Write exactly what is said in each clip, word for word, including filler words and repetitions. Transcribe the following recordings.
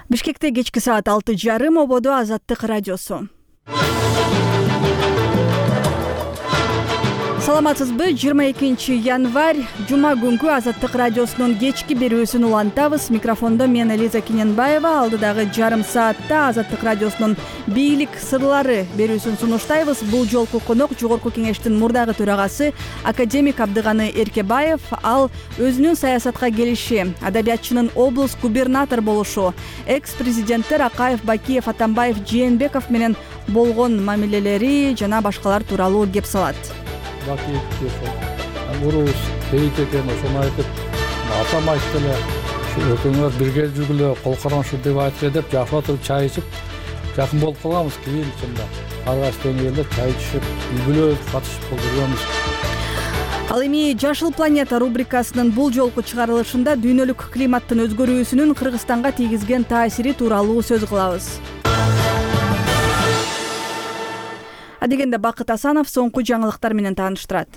Бишкекте кечки саат алты жарым ободо Азаттык радиосу. Саламатсызбы? жыйырма экинчи январь жума күнкү Азаттык радиосунун кечки берүүсүн улантабыз. Микрофондо мен Элиза Кененбаева. Алдыдагы жарым саатта Азаттык радиосунун бийлик сырлары берүүсүн сунуштайбыз. Бул жолку конок Жогорку кеңештин мурдагы төрагасы академик Абдыганы Эркебаев. Ал өзүнүн саясатка келиши, адабиятчынын облус губернатор болушу, экс-президенттер Акаев, Бакиев, Атамбаев, Жээнбеков менен болгон мамилелери жана башкалар тууралуу кеп салат. Урус кейт экен, ошону айтып, атам айтты эле, экөөңөр бирге жүргүлө, кол кармашы деп айтты деп, жакшы отуруп чай ичип, жакын болуп калганбыз. Кийин чында ар кайсы деңгээлде чай ичип, үй-бүлө катышып жүргөнбүз. Ал эми Жашыл планета рубрикасынын бул жолку чыгарылышында дүйнөлүк климаттын өзгөрүүсүнүн Кыргызстанга тийгизген таасири тууралуу сөз кылабыз. Адегенде Бакыт Асанов соңку жаңылыктар менен тааныштырат.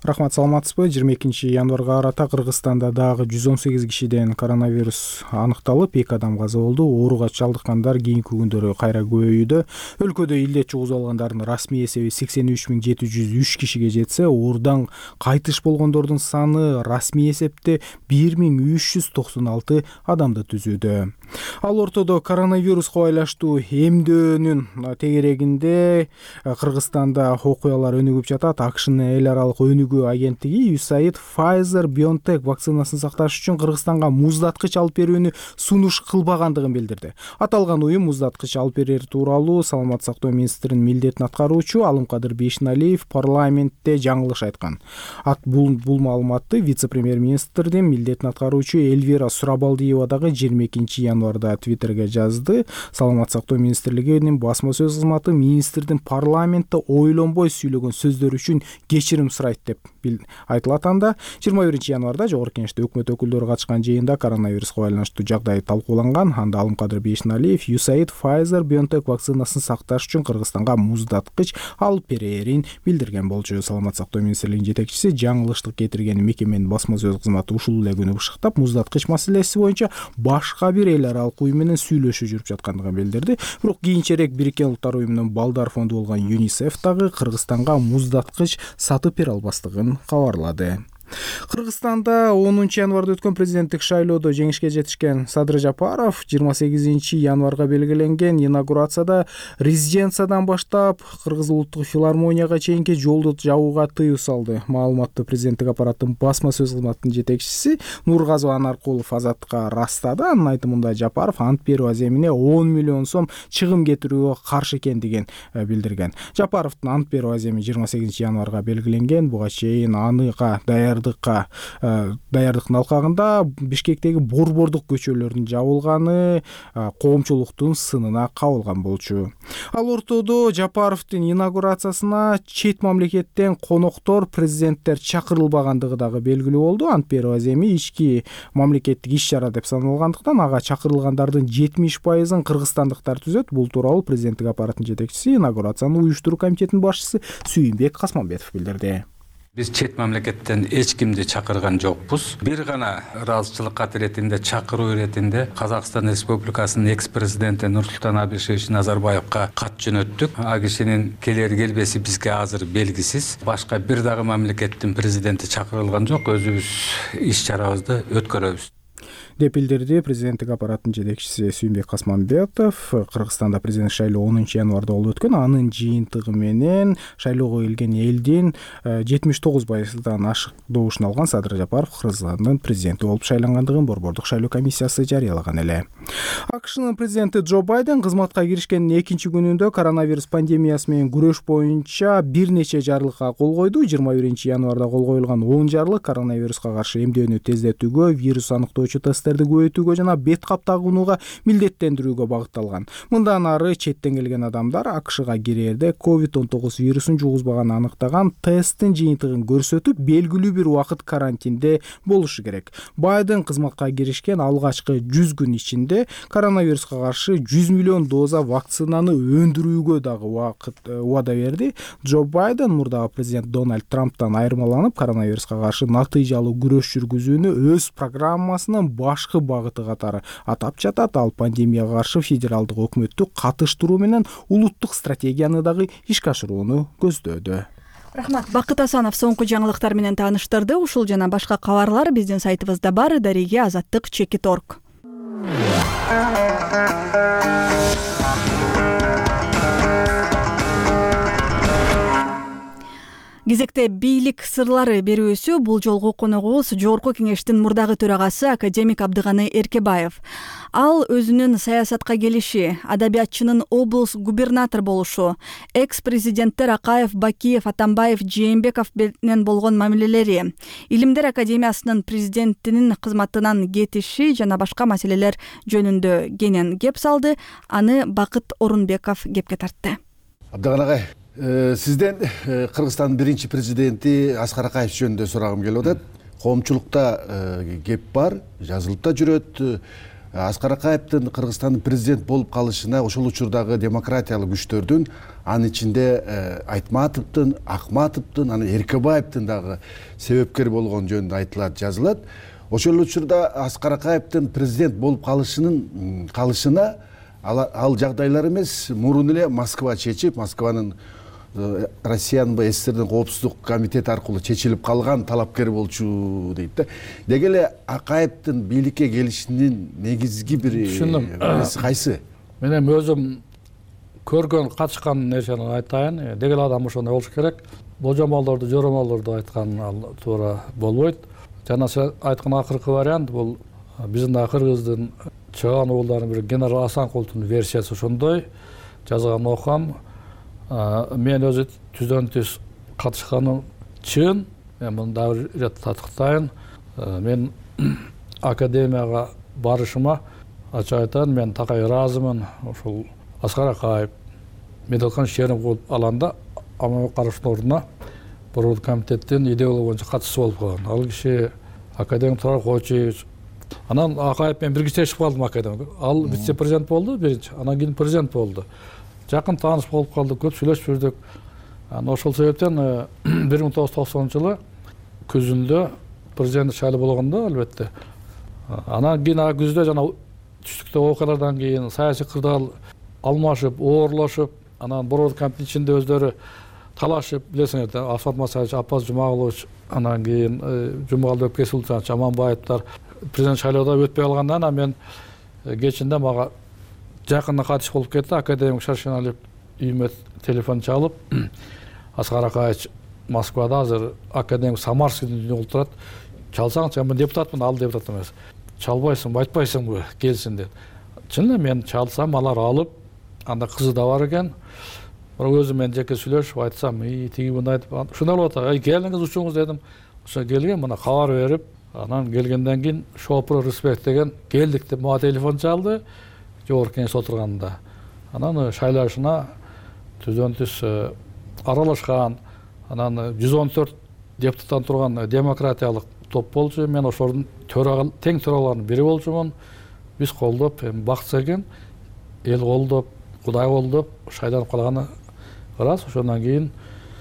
Рахмат, саламатсызбы? жыйырма экинчи январга карата Кыргызстанда дагы жүз он сегиз кишиден коронавирус аныкталып, эки адам каза болду. Ооруга чалдыккандар кийинки күндөрү кайра көбөйүүдө. Өлкөдө илдет жугузуп алгандардын расмий эсеби сексен үч миң жети жүз үч кишиге жетсе, оорудан кайтыш болгондордун саны расмий эсепте бир миң үч жүз токсон алты адамды түзүүдө. Ал ортодо коронавируска байланыштуу эмдөөнүн тегерегинде Кыргызстанда окуялар өнүгүп жатат. АКШнын эл аралык өнүгүү агенттиги ю эс эй ай ди Pfizer-BioNTech вакцинасын сакташ үчүн Кыргызстанга муздаткыч алып берүүнү сунуш кылбагандыгын билдирди. Аталган уюм муздаткыч алып берер тууралуу Саламаттык сактоо министринин милдетин аткаруучу Алымкадыр Бейшеналиев парламентте жаңылыш айткан. Ат бул бул маалыматты вице-премьер-министрдин милдетин аткаруучу Эльвира Сурабалдиева дагы жыйырма экинчи январда Твиттерге жазды. Саламаттык сактоо министрлигинин басма сөз кызматы министрдин парламентте ойлонбой сүйлөгөн сөздөр үчүн кечирим сурайт деп айтылат. Анда жыйырма биринчи январда Жогорку кеңеште өкмөт өкүлдөрү катышкан жыйында коронавируска байланыштуу жагдай талкууланган. Анда Алымкадыр Бейшеналиев ю эс эй ай ди Pfizer-BioNTech вакцинасын сакташ үчүн Кыргызстанга муздаткыч алып берерин билдирген болчу. Саламаттык сактоо министрлигинин жетекчиси жаңылыштык кетирген мекеменин басма сөз кызматы ушул эле күнү бышыктап, муздаткыч маселеси боюнча башка бир эл аралык уюм менен сүйлөшүү жүрүп жаткандыгын билдирди. Бирок кийинчерээк Бириккен Улуттар уюмунун балдар фонду болгон ЮНИСЕФ дагы Кыргызстанга муздаткыч сатып бере албастыгын кабарлады. Кыргызстанда онунчу январда өткөн президенттик шайлоодо жеңишке жетишкен Садыр Жапаров жыйырма сегизинчи январга белгиленген инаугурацияда резиденциядан баштап Кыргыз улуттук филармонияга чейинки жолду жабууга тыюу салды. Маалыматты президенттик аппараттын басма сөз кызматынын жетекчиси Нургазы Анаркулов Азаттыкка растады. Анын айтымында Жапаров ант берүү аземине он миллион сом чыгым кетирүүгө каршы экендигин билдирген. Жапаровдун ант берүү аземи жыйырма сегизинчи январга белгиленген. Буга чейин аныга даяр даярдыктын алкагында Бишкектеги борбордук көчөлөрдүн жабылганы коомчулуктун сынына кабылган болчу. Ал ортодо Жапаровдун инаугурациясына чет мамлекеттен коноктор, президенттер чакырылбагандыгы дагы белгилүү болду. Ант берүү аземи ички мамлекеттик иш-чара деп саналгандыктан ага чакырылгандардын жетимиш пайызын кыргызстандыктар түзөт. Бул тууралуу президенттик аппараттын жетекчиси, инаугурацияны уюштуруу комитетинин башчысы Сүйүнбек Касманбетов билдирди. Биз чет мамлекеттен эч кимди чакырган жокпуз. Бир гана ыраазычылык кат иретинде, чакыруу иретинде Казакстан Республикасынын экс-президенти Нурсултан Абишевич Назарбаевка кат жөнөттүк. А кишинин келер келбеси бизге азыр белгисиз. Башка бир дагы мамлекеттин президенти чакырылган жок. Өзүбүз иш-чарабызды өткөрөбүз деп билдирди президенттик аппараттын жетекчиси Сүйүнбек Касманбетов. Кыргызстанда президенттик шайлоо онунчу январда болуп өткөн. Анын жыйынтыгы менен шайлоого келген элдин жетимиш тогуз пайыздан ашык добушун алган Садыр Жапаров Кыргызстандын президенти болуп шайлангандыгын борбордук шайлоо комиссиясы жарыялаган эле. АКШнын президенти Джо Байден кызматка киришкенин экинчи күнүндө коронавирус пандемиясы менен күрөш боюнча бир нече жарлыкка кол койду. жыйырма биринчи январда кол коюлган он жарлык коронавируска каршы эмдөөнү тездетүүгө, вирус аныктоочу тесттерди көбөйтүүгө жана бет кап тагынууга милдеттендирүүгө багытталган. Мындан ары четтен келген адамдар АКШга кирерде ковид он тогуз вирусун жугузбаганын аныктаган тесттин жыйынтыгын көрсөтүп, белгилүү бир убакыт карантинде болушу керек. Байден кызматка киришкен алгачкы жүз күн ичинде кичинде коронавируска каршы жүз миллион доза вакцинаны өндүрүүгө дагы убада берди. Джо Байден мурдагы президент Дональд Трамптан айырмаланып, коронавируска каршы натыйжалуу күрөш жүргүзүүнү өз программасынын башкы багыты катары атап жатат. Ал пандемияга каршы федералдык өкмөттү катыштыруу менен улуттук стратегияны дагы ишке ашырууну көздөөдө. Рахмат. Бакыт Асанов соңку жаңылыктар менен тааныштырды. Ушул жана башка кабарлар биздин сайтыбызда бар. Дареге азаттык чекит орг. Кезекте бийлик сырлары берүүсү. Бул жолку коногубуз Жогорку Кеңештин мурдагы төрагасы академик Абдыганы Эркебаев. Ал өзүнүн саясатка келиши, адабиятчынын облус губернатор болушу, экс-президенттер Акаев, Бакиев, Атамбаев, Жээнбеков менен болгон мамилелери, Илимдер академиясынын президентинин кызматынан кетиши жана башка маселелер жөнүндө кенен кеп салды. Аны Бакыт Орунбеков кепке тартты. Абдыган агай, сизден Кыргызстандын биринчи президенти Аскар Акаев жөнүндө сурагым келип атат. Коомчулукта кеп бар, жазылып да жүрөт. Аскар Акаевдин Кыргызстандын президент болуп калышына ошол учурдагы демократиялык күчтөрдүн, анын ичинде Айтматовдун, Акматовдун, анан Эркебаевдин дагы себепкер болгон жөнүндө айтылат, жазылат. Ошол учурда Аскар Акаевдин президент болуп калышынын калышына ал жагдайлар эмес, мурун эле Москва чечип, Москванын Россиянын СССРдин коопсуздук комитети аркылуу чечилип калган талапкер болчу дейт да. Деги эле Акаевдин бийликке келишинин негизги бир нерси кайсы? Мен эми өзүм көргөн, катышкан нерсени айтайын. Деги эле адам ошондой болуш керек. Божомолдорду, жоромолдорду айткан ал туура болбойт. Жана сиз айткан акыркы вариант бул биздин да Кыргыздын чыган уулдарынын бири генерал Асанкулдун версиясы ошондой. Жазган окам. Мен өзү түздөн түз катышканым чын. Мен муну дагы ирет татыктайын. Мен академияга барышыма ачык айтайын, мен такай ыраазымын. Ошол Аскар Акаев медалкан шерим кылып алганда ама караштын ордуна Борбор комитеттин идеология боюнча катчысы болуп калган. Ал киши академик Турар Койчуевич. Анан Акаев менен бирге иштешип калдым академик. Ал вице-президент болду биринчи, анан кийин президент болду. Жакын тааныш болуп калдык, көп сүйлөшүп жүрдүк. Анан ошол себептен бир миң тогуз жүз токсонунчу жылы күзүндө президент шайлоо болгондо албетте. Анан кийин күздө жана түштүктө окуялардан кийин саясий кырдаал алмашып, оорлошуп, анан Борбор комитетинин ичинде өздөрү талашып, билесиңер, Асфат Масаевич, Аппаз Жумагулович, анан кийин Жумагал Өпкесулович, Аманбаевдер президент шайлоодо өтпөй калгандан анан мен кечинде мага жакында катыш болуп кетти. Академик Шаршеналиев үйүмө телефон чалып, Аскар Акаевич Москвада азыр академик Самарскийдин үйүндө отурат. Чалсаңчы, мен депутатмын, ал депутат эмес. Чалбайсыңбы, айтпайсыңбы, келсин деп. Чын эле мен чалсам, алар алып, анда кызы да бар экен. Бирок өзүм мен жеке сүйлөшүп айтсам, "И, тиги мындай" айтып, ушундай болуп атат. "Ай, келиңиз учуңуз" дедим. Ошо келген, мына кабар берип, анан келгенден кийин Шопро Респект деген келдик деп мага телефон чалды. Жогорку Кеңеш отурганда. Анан шайлашына түздөн түз аралашкан, анан жүз он төрт депутаттан турган демократиялык топ болчу. Мен ошолордун төрага тең төраларынын бири болчумун. Биз колдоп, эми бакытсыз экен, эл колдоп, Кудай колдоп шайланып калганы ырас. Ошондон кийин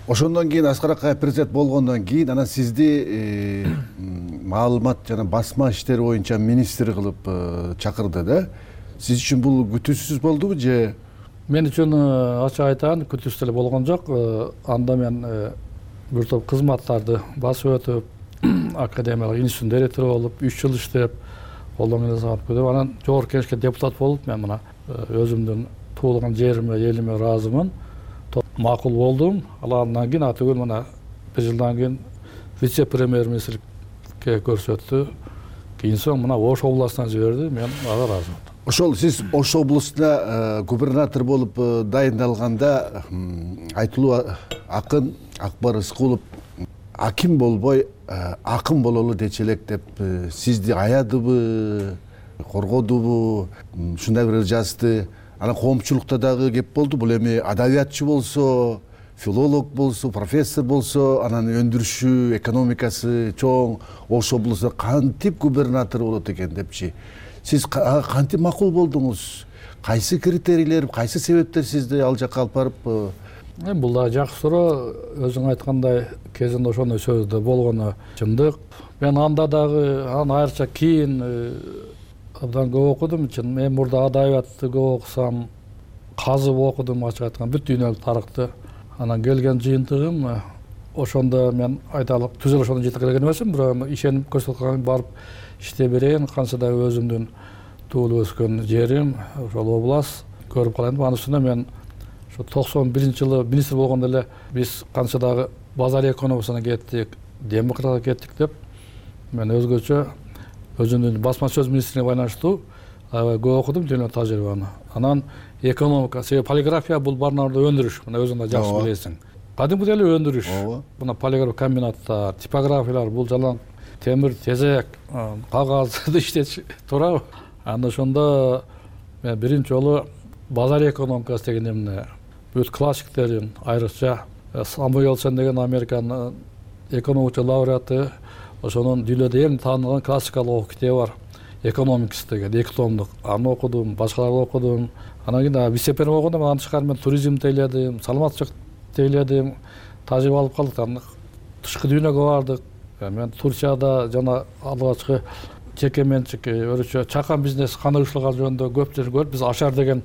Ошондон кийин Аскар Акаев президент болгондон кийин анан сизди маалымат жана басма иштери боюнча министр кылып чакырды да. Сиз үчүн бул күтүүсүз болдубу же? Мен үчүн ачык айтайын, күтүүсүз эле болгон жок. Анда мен бир топ кызматтарды басып өтүп, академиялык институттун директору болуп, үч жыл иштеп, колдон келе саат көтөрүп, анан Жогорку Кеңешке депутат болуп, мен мына өзүмдүн туулган жериме, элиме ыраазымын. Макул болдум. Алардан кийин атөгөл мына бир жылдан кийин вице-премьер-министрге көрсөттү. Кийин соң мына Ош областынан жиберди. Мен ага ыраазымын. Ошол сиз Ош облусуна губернатор болуп дайындалганда айтылуу акын Акбар Рыскулов аким болбой акын бололу дечи элек деп сизди аядыбы, коргодубу, ушундай бир жазды. Анан коомчулукта дагы кеп болду. Бул эми адабиятчы болсо, филолог болсо, профессор болсо, анан өндүрүшү, экономикасы чоң Ош облусу кантип губернатор болот экен депчи. сиз кантип макул болдуңуз? Кайсы критерийлер, кайсы себептер сизди ал жака алып барып? Эми бул да жакшы суроо. Өзүң айткандай кезинде ошондой сөздө болгону чындык. Мен анда дагы аны айрыкча кийин абдан көп окудум. Чын мен мурда адабиятты көп окусам, казып окудум, ачык айтканда бүт дүйнөлүк тарыхты. Анан келген жыйынтыгым ошондо мен айталык түз эле ошондо жетип келген эмесмин, бирок ишенип көрсөткөн барып иштей берейин, канча да өзүмдүн туулуп өскөн жерим, ошол область көрүп калайын деп. Анын үстүнө мен ошо токсон биринчи жылы министр болгондо эле биз канча дагы базар экономикасына кеттик, демократияга кеттик деп мен өзгөчө өзүмдүн басма сөз министрине байланыштуу аябай көп окудум дүйнөлүк тажрыйбаны. Анан экономика, себеби полиграфия бул барнарда өндүрүш, мына өзүң да жакшы билесиң. Кадимки эле өндүрүш. Мына полиграф комбинаттар, типографиялар, бул жалаң темир, тезек, кагазды иштетиш туурабы? Анда ошондо мен биринчи жолу базар экономикасы деген эмне, бүт классиктерин, айрыкча Самуэль Сен деген Американын экономика лауреаты, ошонун дүйнөдө эң таанылган классикалык китеби бар, Economics деген эки томдук. Аны окудум, башкаларды окудум. Анан кийин вице-премьер болгондо андан тышкары мен туризмди тейледим, саламаттычылыкты тейледим, тажрыйба алып калдык. Анан тышкы дүйнөгө бардык. Мен Турцияда жана алгачкы жеке менчик өрүчө чакан бизнес кандай ушулар жөнүндө көп жер көрүп, биз Ашар деген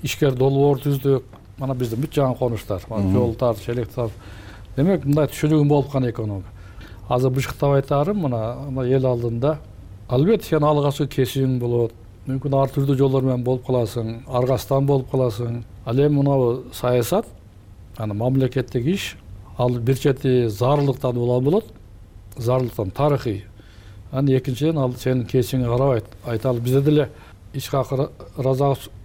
ишкер долбоор түздүк. Мана биздин бүт жаңы конуштар, жолдор, электр. Демек, мындай түшүнүгүм болуп калган экономика. Азыр бышыктап айтарым, мына эл алдында албетте сен алгачкы кесиң болот. Мүмкүн ар түрдүү жолдор менен болуп каласың, аргастан болуп каласың. Ал эми мына саясат, аны мамлекеттик иш, ал бир чети зарылдыктан улам болот, зарылдыктан тарыхый. Анан экинчиден ал сенин кесиңе карабайт. Айталы бизде деле иш хакы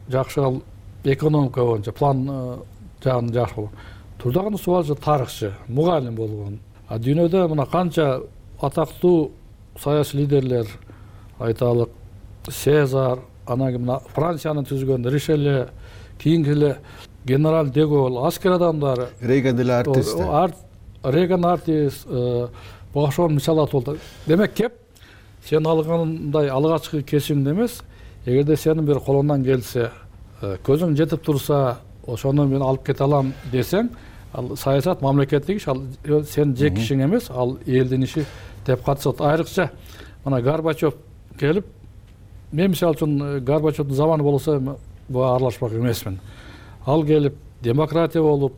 жакшы, ал экономика боюнча план жагын жакшы болгон. Турдаган суалчы тарыхчы, мугалим болгон. А дүйнөдө мына канча атактуу саясий лидерлер, айталык Сезар, анан мына Франциянын түзгөн Ришеле, кийинки эле генерал де Голль, аскер адамдары, Рейган деле артист. Рейган артист, ошон мисал болду. Демек кеп сен алгандай алгачкы кесимде эмес, эгерде сенин бир колуңдан келсе, көзүң жетип турса, ошону мен алып кете алам десең, ал саясат мамлекеттик иш, ал сен жеке ишиң эмес, ал элдин иши деп катышат. Айрыкча мына Горбачев келип, мен мисалы үчүн Горбачевдун заманы болсо буга аралашпак эмесмин. Ал келип демократия болуп,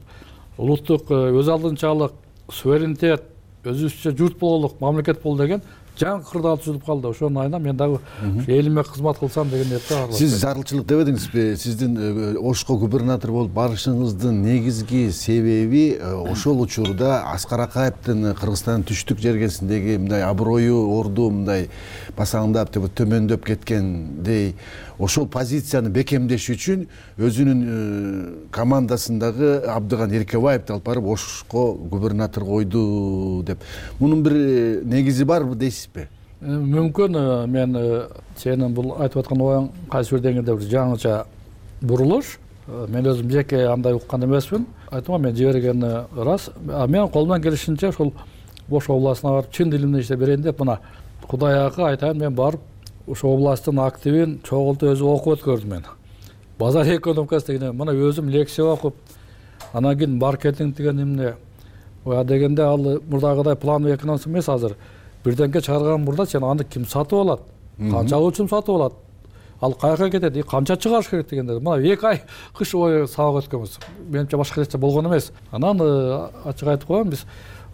улуттук өз алдынчалык, суверенитет, өзүбүзчө журт бололук, мамлекет болу деген жаңы кырдаал түзүлүп калды. Ошонун айынан мен дагы элиме кызмат кылсам деген ниетте аралашам. Сиз зарылчылык дебедиңизби? Сиздин Ошко губернатор болуп барышыңыздын негизги себеби ошол учурда Аскар Акаевдин Кыргызстандын түштүк жергесиндеги мындай аброю, орду мындай басаңдап, төмөндөп кеткендей, ошол позицияны бекемдеш үчүн өзүнүн командасындагы Абдыган Эркебаевди алып барып Ошко губернатор койду деп. Мунун бир негизи барбы дейсизби? Мүмкүн мен сенин бул айтып аткан оюң кайсы бир деңгээлде бир жаңыча бурулуш. Мен өзүм жеке андай уккан эмесмин. Айтымга мен жибергени рас. Мен колумдан келишинче ошол Ош областына барып чын дилимде иштеп берейин деп, мына Кудай акы айтайын, мен барып ошо областтын активин чогултуп өзү окуп өткөрдүм мен. Базар экономикасы деген, мына өзүм лекция окуп, анан кийин маркетинг деген эмне, ая дегенде ал мурдагыдай плановый экономика эмес азыр. Бирденке чыгарган мурда сен аны ким сатып алат? Канчалык үчүн сатып алат? Ал каяка кетет? Канча чыгарыш керек дегенде. Мына эки ай кыш бою сабак өткөнбүз. Менимче башка нерсе болгон эмес. Анан ачык айтып коеюн, биз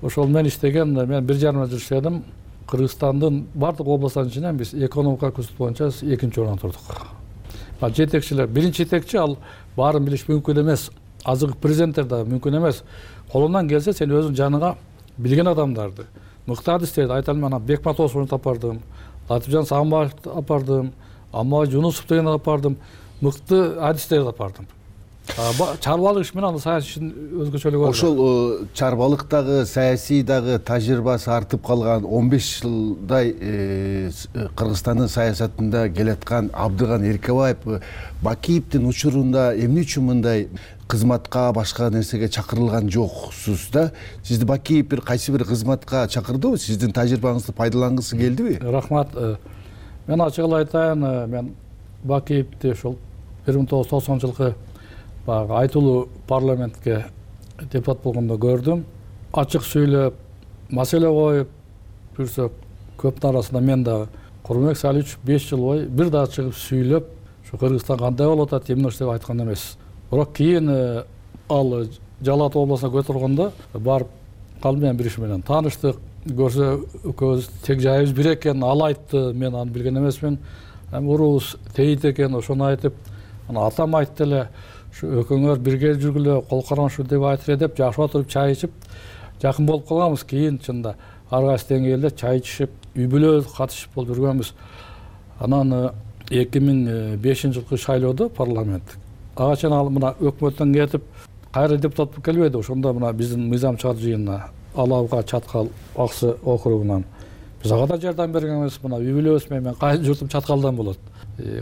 ошол мен иштеген, мен бир жарым жыл иштедим. Кыргызстандын бардык областтарынын ичинен биз экономика көрсөтүү боюнча экинчи орунда турдук. Жетекчилер, биринчи жетекчи ал баарын билиш мүмкүн эмес. Азыркы президенттер да мүмкүн эмес. Колунан келсе сен өзүң жаныңа билген адамдарды, мыкты адистерди, айталым, анан Бекмат Осмоновду апардым, Латыпжан Сагынбаевди апардым, Амма Жунусов дегенди апардым, мыкты адистерди апардым. Чарбалык иш менен саясий ишин өзгөчөлүгү бар. Ошол чарбалыктагы, саясий дагы тажрыйбасы артып калган он беш жылдай Кыргызстандын саясатында келаткан Абдыган Эркебаев Бакиевдин учурунда эмне үчүн мындай кызматка, башка нерсеге чакырылган жоксуз да? Сизди Бакиев бир кайсы бир кызматка чакырдыбы? Сиздин тажрыйбаңызды пайдалангысы келдиби? Рахмат. Мен ачыгын айтайын, мен Бакиевди ошол бир миң тогуз жүз токсонунчу жылкы баягы айтылуу парламентке депутат болгондо көрдүм. Ачык сүйлөп, маселе коюп жүрсөк, көптүн арасында мен дагы Курманбек Салиевич беш жыл бою бир дагы чыгып сүйлөп, ушу Кыргызстан кандай болуп атат, эмне деп айткан эмес. Бирок кийин ал Жалал Абад областына көтөргөндө барып калдым, мен бир иш менен тааныштык. Көрсө экөөбүз тег жайыбыз бир экен, ал айтты, мен аны билген эмесмин. Эми уруубуз тейит экен, ошону айтып, ана атам айтты эле, ушу экөөңөр бирге жүргүлө, кол кармашуу деп айтып эле деп жашап отуруп чай ичип жакын болуп калганбыз. Кийин чында ар кайсы деңгээлде чай ичишип, үй бүлө катышып болуп жүргөнбүз. Анан эки миң бешинчи жылкы шайлоодо парламент ага чейин ал мына өкмөттөн кетип кайра депутат болуп келбеди. Ошондо мына биздин мыйзам чыгар жыйынына Алабга Чаткал Аксы округунан биз ага да жардам берген эмес. Мына үй бүлөбүз менен мен кайын журтум Чаткалдан болот.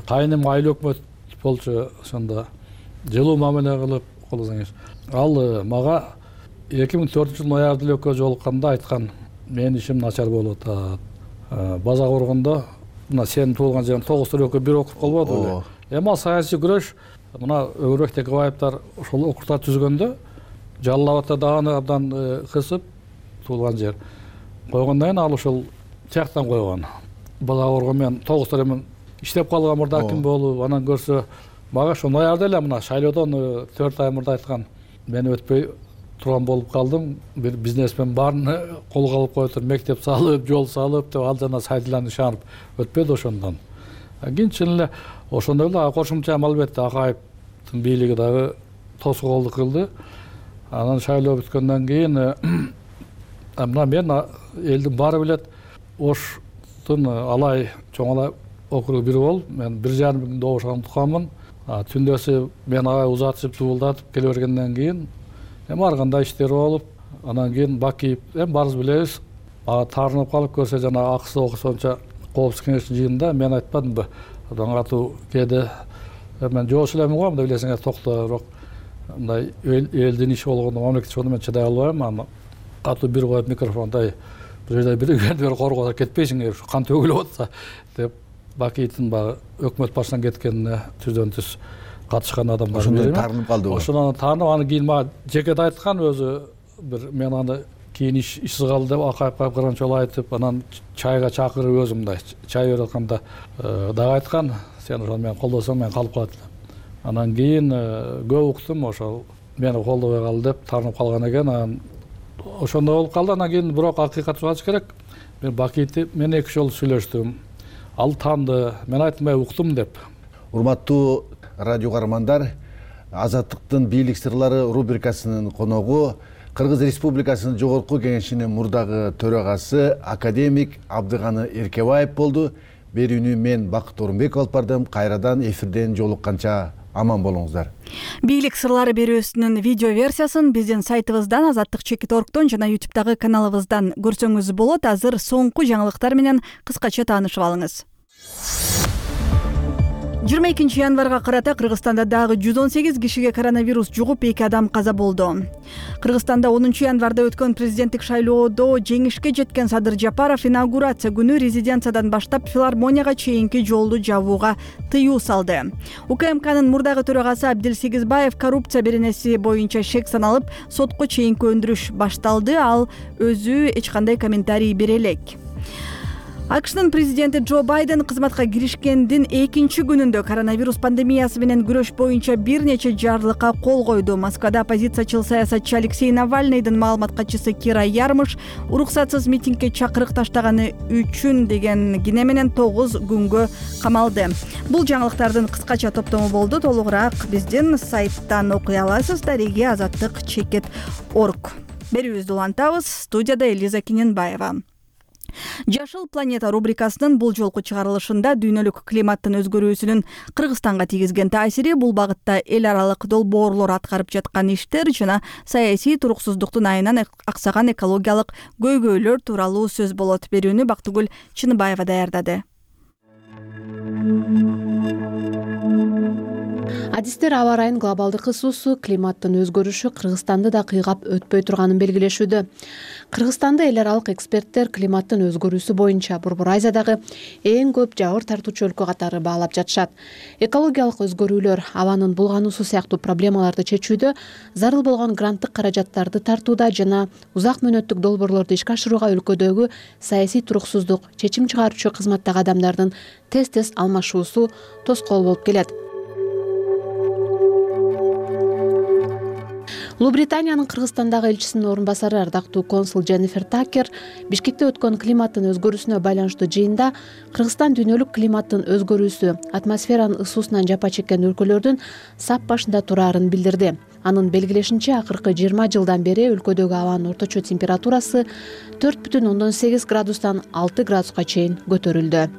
Кайыным айыл өкмөт болчу, ошондо жылуу мамиле кылып колдосоңуз. Ал мага эки миң төртүнчү жылы ноябрда эле экөө жолукканда айткан, менин ишим начар болуп атат. База коргондо мына сенин туулган жериң тогуз экөө бир округ болбоду беле. Эми ал саясий күрөш, мына Өгөрбек Текебаевдер ошол округтарды түзгөндө Жалал Абадта дагы абдан кысып туулган жер койгондон кийин ал ошол тияктан койгон. База коргон мен тогуз эми иштеп калган мурда ким болуп, анан көрсө мага ошо ноябрда эле мына шайлоодон төрт ай мурда айткан, мен өтпөй турган болуп калдым. Бир бизнесмен баарын колго алып коюптур, мектеп салып, жол салып деп ал жана сайдылан ишанып өтпөдү ошондон. Кийин чын эле ошондой эле кошумча албетте Акаевдин бийлиги дагы тоскоолдук кылды. Анан шайлоо бүткөндөн кийин мына мен элдин баары билет, Оштун Алай чоң Алай округу бир болуп, мен бир жарым миң добушкан тукаммын. Түндөсү мен ага узатышып суулдатып келе бергенден кийин эми ар кандай иштер болуп, анан кийин Бакиев эми баарыбыз билебиз, ага таарынып калып көрсө жана Аксы округунча коопсуздук кеңештин жыйынында мен айтпадымбы, абдан катуу кээде мен жооч элемин го, мындай билесиңер токто, бирок мындай элдин иши болгондо, мамлекет иши болгондо мен чыдай албайм. Аны катуу бир коюп микрофондай бир жерде бир коргоодо кетпейсиңер, ушу кан төгүлүп атса деп Бакиевдин баягы өкмөт башынан кеткенине түздөн түз катышкан адамдар. Ошондон таарынып калдыбы? Ошондон таарынып, аны кийин мага жекет айткан өзү, бир мен аны кийин ишсиз калды деп Акаевга кыргын жолу айтып, анан чайга чакырып өзү мындай чай берип атканда дагы айткан, сен ошону менен колдосоң мен калып калат элем. Анан кийин көп уктум, ошол мени колдобой калды деп таарынып калган экен. Анан ошондой болуп калды. Анан кийин бирок акыйкатты айтыш керек, мен Бакиевди мен эки жолу сүйлөштүм. Ал таанды, мен айттым, мен уктум деп. Урматтуу радио каармандар, Азаттыктын бийлик сырлары рубрикасынын коногу Кыргыз Республикасынын Жогорку Кеңешинин мурдагы төрагасы академик Абдыганы Эркебаев болду. Берүүнү мен Бакыт Орунбеков алып бардым. Кайрадан эфирден жолукканча аман болуңуздар. Бийлик сырлары берүүсүнүн видео версиясын биздин сайтыбыздан, азаттык чекит точка оргдон жана ютубтагы каналыбыздан көрсөңүз болот. Азыр соңку жаңылыктар менен кыскача таанышып алыңыз. жыйырма экинчи январга карата Кыргызстанда дагы жүз он сегиз кишиге коронавирус жугуп, эки адам каза болду. Кыргызстанда онунчу январда өткөн президенттик шайлоодо жеңишке жеткен Садыр Жапаров инаугурация күнү резиденциядан баштап филармонияга чейинки жолду жабууга тыюу салды. УКМКнын мурдагы төрагасы Абдил Сегизбаев коррупция беренеси боюнча шек саналып, сотко чейинки өндүрүш башталды. Ал өзү эч кандай комментарий бере элек. АКШнын президенти Джо Байден кызматка киришкендин экинчи күнүндө коронавирус пандемиясы менен күрөш боюнча бир нече жарлыкка кол койду. Москвада оппозициячыл саясатчы Алексей Навальныйдын маалымат катчысы Кира Ярмыш уруксатсыз митингге чакырык таштаганы үчүн деген кине менен тогуз күнгө камалды. Бул жаңылыктардын кыскача топтому болду. Толугураак биздин сайттан окуй аласыз. Дареги азаттык чекит точка орг. Берүүбүздү улантабыз. Студияда Элиза Киненбаева. Жашыл планета рубрикасынын бул жолку чыгарылышында дүйнөлүк климаттын өзгөрүүсүнүн Кыргызстанга тийгизген таасири, бул багытта эл аралык долбоорлор аткарып жаткан иштер жана саясий туруксуздуктун айынан аксаган экологиялык көйгөйлөр тууралуу сөз болот. Берүүнү Бактыгүл Чыныбаева даярдады. Адистер аба ырайынын глобалдык ысуусу, климаттын өзгөрүшү Кыргызстанды да кыйгап өтпөй турганын белгилешүүдө. Кыргызстанда эл аралык эксперттер климаттын өзгөрүүсү боюнча Борбор Азиядагы эң көп жабыр тартуучу өлкө катары баалап жатышат. Экологиялык өзгөрүүлөр, абанын булгануусу сыяктуу проблемаларды чечүүдө зарыл болгон гранттык каражаттарды тартууда жана узак мөөнөттүк долбоорлорду ишке ашырууга өлкөдөгү саясий туруксуздук, чечим чыгаруучу кызматтагы адамдардын тез-тез алмашуусу тоскоол болуп келет. Улуу Британиянын Кыргызстандагы элчисинин орун басары ардактуу консул Дженнифер Такер Бишкекте өткөн климаттын өзгөрүүсүнө байланыштуу жыйында Кыргызстан дүйнөлүк климаттын өзгөрүүсү, атмосферанын ысуусунан жапа чеккен өлкөлөрдүн сап башында турарын билдирди. Анын белгилешинче, акыркы жыйырма жылдан бери өлкөдөгү абанын орточо температурасы төрт бүтүн ондон сегиз градустан алты градуска чейин көтөрүлдү.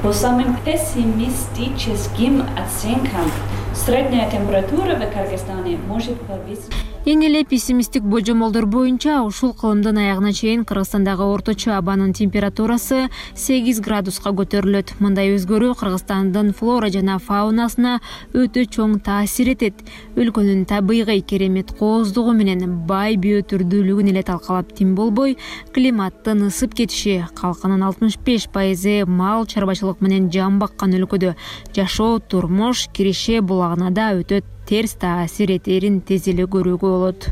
По самым пессимистическим оценкам, средняя температура в Кыргызстане может повыситься. Эң эле пессимисттик божомолдор боюнча ушул кылымдын аягына чейин Кыргызстандагы орточо абанын температурасы сегиз градуска көтөрүлөт. Мындай өзгөрүү Кыргызстандын флора жана фаунасына өтө чоң таасир этет. Өлкөнүн табигый керемет кооздугу менен бай биотүрдүүлүгүн эле талкалап тим болбой, климаттын ысып кетиши, калкынын алтымыш беш пайызы мал чарбачылык менен жан баккан өлкөдө жашоо, турмуш, киреше булагына да өтө терс таасир этерин тез эле көрүүгө болот.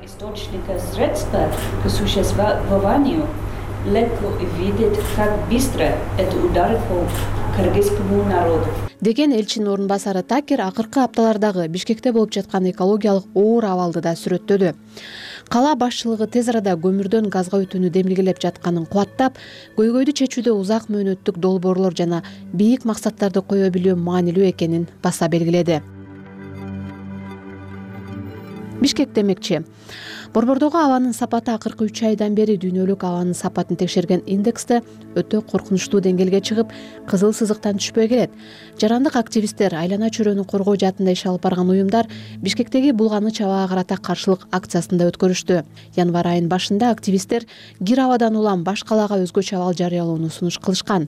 Источника средства к существованию легко видеть, как быстро это ударит по кыргызскому народу. Деген элчинин орун басары Такер акыркы апталардагы Бишкекте болуп жаткан экологиялык оор абалды да сүрөттөдү. Кала башчылыгы тез арада көмүрдөн газга өтүүнү демилгелеп жатканын кубаттап, көйгөйдү чечүүдө узак мөөнөттүк долбоорлор жана бийик максаттарды кое билүү маанилүү экенин баса белгиледи. Бишкек демекчи. Борбордогу абанын сапаты акыркы үч айдан бери дүйнөлүк абанын сапатын текшерген индексте өтө коркунучтуу деңгээлге чыгып, кызыл сызыктан түшпөй келет. Жарандык активисттер, айлана чөйрөнү коргоо жаатында иш алып барган уюмдар Бишкектеги булганыч абага карата каршылык акциясын да өткөрүштү. Январь айынын башында активисттер кир абадан улам баш калаага өзгөчө абал жарыялоону сунуш кылышкан.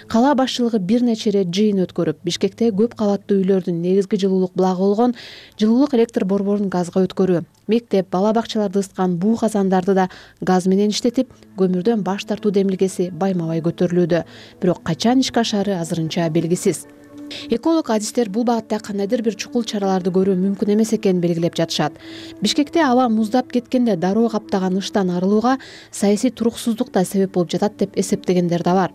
Кала башчылыгы бир нече ирет жыйын өткөрүп, Бишкекте көп кабаттуу үйлөрдүн негизги жылуулук булагы болгон жылуулук электр борборун газга өткөрүү, мектеп, бала бакчаларды ысыткан буу казандарды да газ менен иштетип, көмүрдөн баш тартуу демилгеси байма-бай көтөрүлүүдө. Бирок качан ишке ашаары азырынча белгисиз. Эколог адистер бул багытта кандайдыр бир чукул чараларды көрүү мүмкүн эмес экенин белгилеп жатышат. Бишкекте аба муздап кеткенде дароо каптаган ыштан арылууга саясий туруксуздук да себеп болуп жатат деп эсептегендер да бар.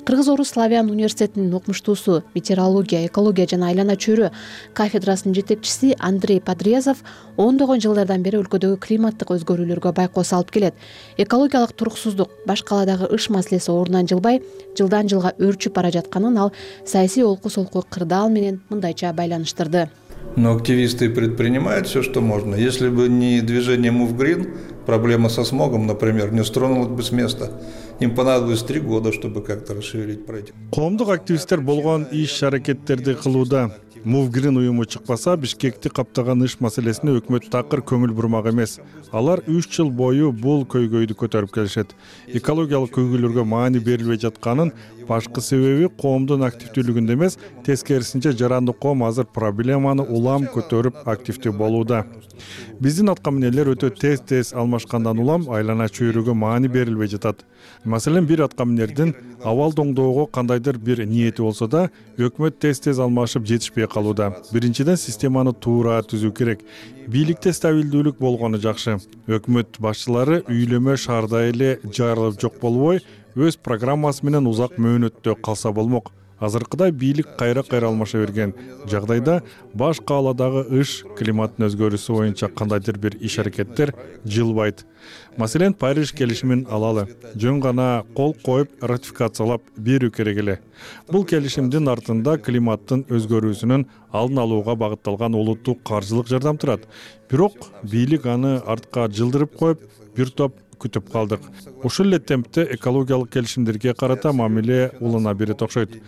Кыргыз-Орус славян университетинин окумуштуусу, метеорология, экология жана айлана чөйрө кафедрасынын жетекчиси Андрей Подрезов ондогон жылдардан бери өлкөдөгү климаттык өзгөрүүлөргө байкоо салып келет. Экологиялык туруксуздук, баш каладагы ыш маселеси ордунан жылбай, жылдан жылга өөрчүп бара жатканын ал саясий олку-солку кырдаал менен мындайча байланыштырды. Но активисты предпринимают все, что можно. Если бы не движение Move Green, проблема со смогом, например, не стронулась бы с места. Им понадобилось три года, чтобы как-то расшевелить проект. Коомдук активисттер болгон иш-аракеттерди кылууда. Move Green уюму чыкпаса, Бишкекти каптаган ыш маселесине өкмөт такыр көңүл бурмак эмес. Алар үч жыл бою бул көйгөйдү көтөрүп келишет. Экологиялык көйгөйлөргө маани берилбей жатканын башкы себеби коомдун активдүүлүгүндө эмес, тескерисинче жарандык коом азыр проблеманы улам көтөрүп активдүү болууда. Биздин аткаминерлер өтө тез-тез алмашкандан улам айлана чөйрөгө маани берилбей жатат. Маселен, бир аткаминердин абал доңдоого кандайдыр бир ниети болсо да, өкмөт тез-тез алмашып жетишпей калууда. Биринчиден, системаны туура түзүү керек. Бийликте стабилдүүлүк болгону жакшы. Өкмөт башчылары үйлөмө шаарда эле жайрылып жок болбой, өз программасы менен узак мөөнөттө калса болмок. Азыркыда бийлик кайра-кайра алмаша берген жагдайда баш кааладагы ыш климаттын өзгөрүүсү боюнча кандайдыр бир иш-аракеттер жылбайт. Маселен, Париж келишимин алалы. Жөн гана кол коюп ратификациялап берүү керек эле. Бул келишимдин артында климаттын өзгөрүүсүнүн алдын алууга багытталган улуттук каржылык жардам турат. Бирок бийлик аны артка жылдырып коюп, бир топ күтүп калдык. Ушул эле темпте экологиялык келишимдерге карата мамиле улана берет окшойт.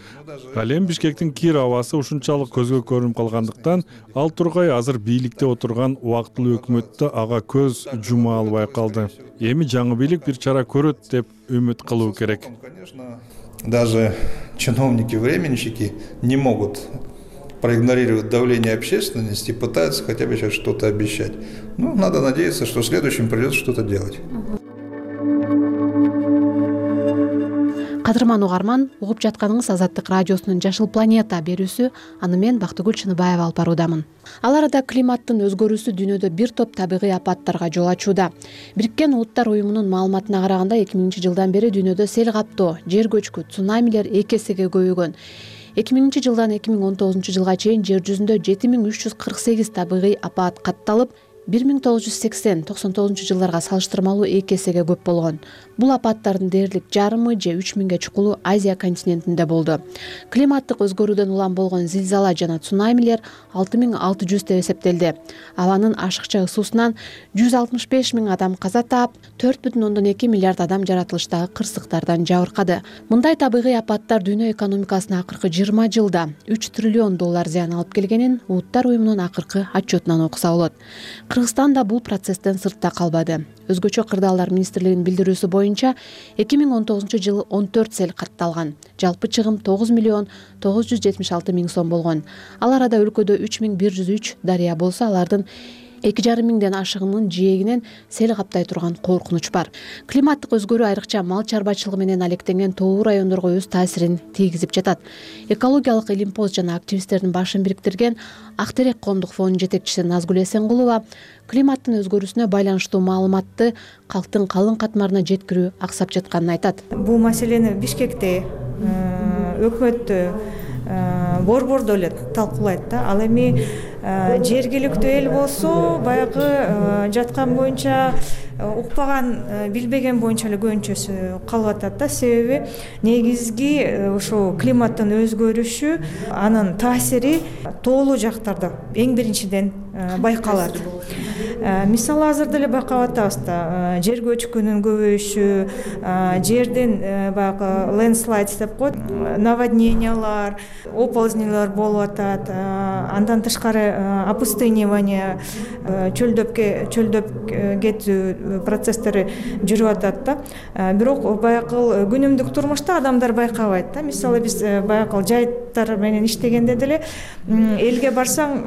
Ал эми Бишкектин кир абасы ушунчалык көзгө көрүнүп калгандыктан, ал тургай азыр бийликте отурган убактылуу өкмөттө ага көз жума албай калды. Эми жаңы бийлик бир чара көрөт деп үмүт кылуу керек. Даже чиновники, временщики не могут проигнорировать давление общественности, пытается хотя бы сейчас что-то обещать. Ну, надо надеяться, что в следующем придется что-то делать. Кадырман угарман, угуп жатканыңыз Азаттык радиосунун Жашыл планета берүүсү. Аны мен Бактыгүл Чыныбаева алып баруудамын. Ал арада климаттын өзгөрүүсү дүйнөдө бир топ табигый апаттарга жол ачууда. Бириккен Улуттар уюмунун маалыматына караганда эки миңинчи жылдан бери дүйнөдө сел каптоо, жер көчкү, цунамилер эки эсеге көбөйгөн. эки миңинчи жылдан эки миң он тогузунчу жылга чейин жер жүзүндө жети миң үч жүз кырк сегиз табигый апат катталып, бир миң тогуз жүз сексен токсон тогузунчу жылдарга салыштырмалуу эки эсеге көп болгон. Бул апаттардын дээрлик жарымы же үч миңге чукулу Азия континентинде болду. Климаттык өзгөрүүдөн улам болгон зилзала жана цунамилер алты миң алты жүз деп эсептелди. Абанын ашыкча ысуусунан жүз алтымыш беш миң адам каза таап, төрт бүтүн ондон эки миллиард адам жаратылыштагы кырсыктардан жабыркады. Мындай табигый апаттар дүйнө экономикасына акыркы жыйырма жылда үч триллион доллар зыян алып келгенин Улуттар уюмунун акыркы отчетунан окуса болот. Кыргызстан да бул процесстен сыртта калбады. Өзгөчө кырдаалдар министрлигинин билдирүүсү боюнча эки миң он тогузунчу жылы он төрт сел катталган. Жалпы чыгым тогуз миллион тогуз жүз жетимиш алты миң сом болгон. Ал арада өлкөдө үч миң бир жүз үч дарыя болсо, алардын эки жарым миңден ашыгынын жээгинен сел каптай турган коркунуч бар. Климаттык өзгөрүү айрыкча мал чарбачылыгы менен алектенген тоо райондорго өз таасирин тийгизип жатат. Экологиялык илимпоз жана активисттердин башын бириктирген Ак терек коомдук фондунун жетекчиси Назгүл Эсенгулова климаттын өзгөрүүсүнө байланыштуу маалыматты калктын калың катмарына жеткирүү аксап жатканын айтат. Бул маселени Бишкекте өкмөттө борбордо эле талкуулайт да. Ал эми жергиликтүү эл болсо баягы жаткан боюнча укпаган, билбеген боюнча эле көбүнчөсү калып атат да. Себеби негизги ошо климаттын өзгөрүшү, анын таасири тоолуу жактарда эң биринчиден байкалат. Мисалы азырда эле байкап атабыз да, жер көчкүнүн көбөйүшү, жердин баягы ленслайд деп коет, наводнениялар, оползнелер болуп атат. Андан тышкары опустынивание, чөлдөп чөлдөп кетүү процесстери жүрүп атат да. Бирок баягы күнүмдүк турмушта адамдар байкабайт да. Мисалы биз баягы жайыттар менен иштегенде деле элге барсаң,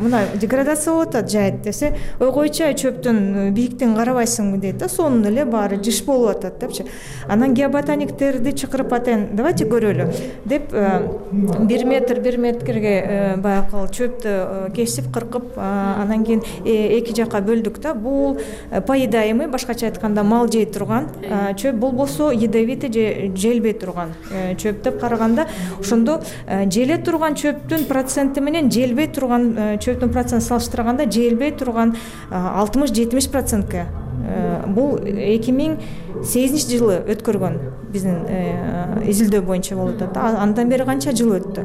мына деградация болуп атат жайыт десе, ой койчу чөптүн бийиктигин карабайсыңбы дейт да. Сонун эле баары жыш болуп атат депчи. Анан геоботаниктерди чакырып атайын, давайте көрөлү деп бир метр бир метрге баягы чөптү кесип кыркып, анан кийин эки жакка бөлдүк да. Бул поедаемый, башкача айтканда мал жей турган чөп, болбосо ядовитый же желбей турган чөп деп караганда, ошондо желе турган чөптүн проценти менен желбей турган чөптүн процентин салыштырганда желбей турган алтымыш жетимиш процентке. Бул эки миң сегизинчи жылы өткөргөн биздин изилдөө боюнча болуп атат. Андан бери канча жыл өттү.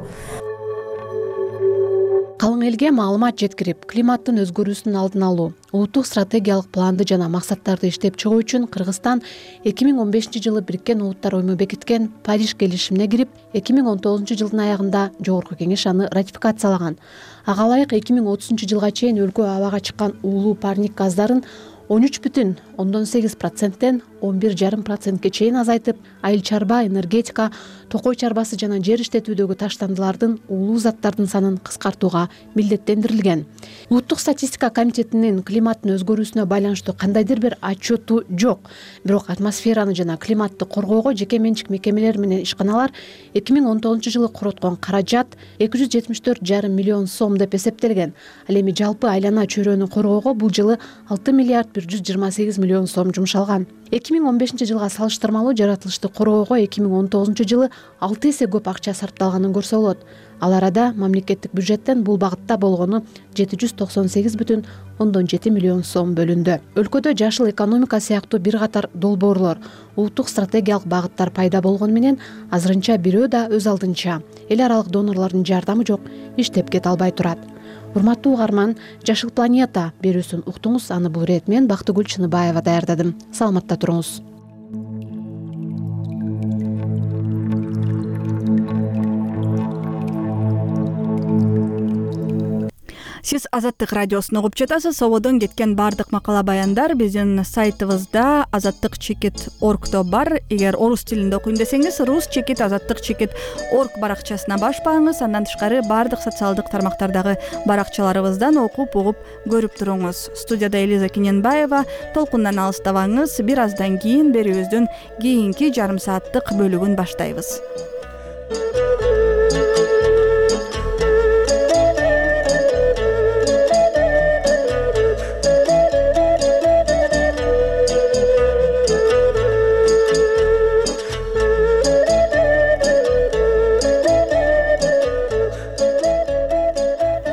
Калың элге маалымат жеткирип, климаттын өзгөрүүсүнүн алдын алуу, улуттук стратегиялык планды жана максаттарды иштеп чыгуу үчүн Кыргызстан эки миң он бешинчи жылы Бириккен Улуттар уюму бекиткен Париж келишимине кирип, эки миң он тогузунчу жылдын аягында Жогорку Кеңеш аны ратификациялаган. Ага ылайык эки миң отузунчу жылга чейин өлкө абага чыккан уулуу парник газдарын он үч бүтүн ондон сегиз проценттен он бир жарым процентке чейин азайтып, айыл чарба, энергетика, токой чарбасы жана жер иштетүүдөгү таштандылардын, уулуу заттардын санын кыскартууга милдеттендирилген. Улуттук статистика комитетинин климаттын өзгөрүүсүнө байланыштуу кандайдыр бир отчету жок. Бирок атмосфераны жана климатты коргоого жеке менчик мекемелер менен ишканалар эки миң он тогузунчу жылы короткон каражат эки жүз жетимиш төрт жарым миллион сом деп эсептелген. Ал эми жалпы айлана чөйрөнү коргоого бул жылы алты миллиард бир жүз жыйырма сегиз миллион сом жумшалган. эки миң он бешинчи жылга салыштырмалуу жаратылышты коргоого эки миң он тогузунчу жылы алты эсе көп акча сарпталганын көрсө болот. Ал арада мамлекеттик бюджеттен бул багытта болгону жети жүз токсон сегиз бүтүн ондон жети миллион сом бөлүндү. Өлкөдө жашыл экономика сыяктуу бир катар долбоорлор, улуттук стратегиялык багыттар пайда болгону менен азырынча бирөө да өз алдынча эл аралык донорлордун жардамы жок, иштеп кете албай турат. Урматтуу угарман, Жашыл планета берүүсүн уктуңуз. Аны бул ирет мен Бактыгүл Чыныбаева даярдадым. Саламатта туруңуз. Сиз Азаттык радиосун угуп жатасыз. Сободон кеткен баардык макала баяндар биздин сайтыбызда азаттык чекит точка оргдо бар. Эгер орус тилинде окуйм десеңиз, рус чекит азаттык чекит точка орг баракчасына баш багыңыз. Андан тышкары баардык социалдык тармактардагы баракчаларыбыздан окуп, угуп, көрүп туруңуз. Студияда Элиза Киненбаева. Толкундан алыстабаңыз. Бир аздан кийин берүүбүздүн кийинки жарым сааттык бөлүгүн баштайбыз.